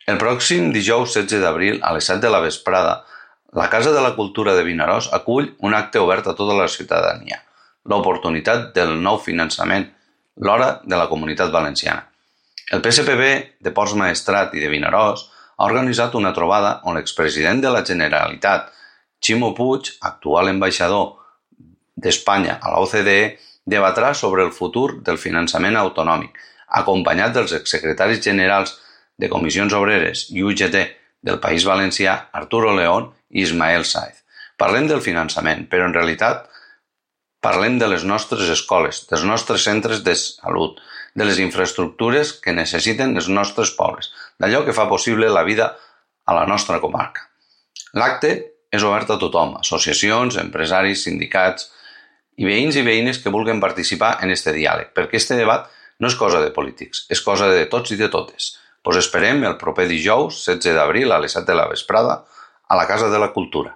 El pròxim dijous 16 d'abril, a les 7 de la vesprada, la Casa de la Cultura de Vinaròs acull un acte obert a tota la ciutadania, l'oportunitat del nou finançament, l'hora de la Comunitat Valenciana. El PSPB de Ports Maestrat i de Vinaròs ha organitzat una trobada on l'expresident de la Generalitat, Ximo Puig, actual ambaixador d'Espanya a la OCDE, debatrà sobre el futur del finançament autonòmic, acompanyat dels exsecretaris generals de Comissions Obreres i UGT del País Valencià, Arturo León i Ismael Sáez. Parlem del finançament, però en realitat parlem de les nostres escoles, dels nostres centres de salut, de les infraestructures que necessiten els nostres pobles, d'allò que fa possible la vida a la nostra comarca. L'acte és obert a tothom, associacions, empresaris, sindicats i veïns i veïnes que vulguin participar en aquest diàleg, perquè aquest debat no és cosa de polítics, és cosa de tots i de totes. Us esperem el proper dijous, 16 d'abril, a les 7 de la vesprada, a la Casa de la Cultura.